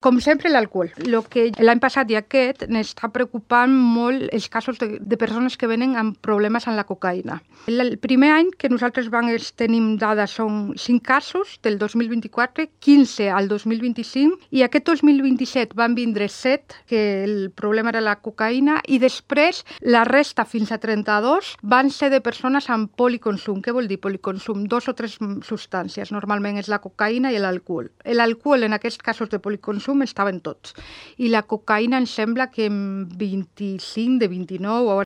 Com sempre, l'alcohol. El que l'any passat i aquest n'està preocupant molt els casos de persones que venen amb problemes amb la cocaïna. El primer any que nosaltres tenim dades són 5 casos, del 2024, 15 al 2025, i aquest 2027 van vindre 7, que el problema era la cocaïna, i després la resta, fins a 32, van ser de persones amb policonsum. Què vol dir policonsum? 2 o 3 substàncies. Normalment és la cocaïna i l'alcohol. L'alcohol, en aquests casos de policonsum, estaven tots. I la cocaïna em sembla que en 25 de 29 o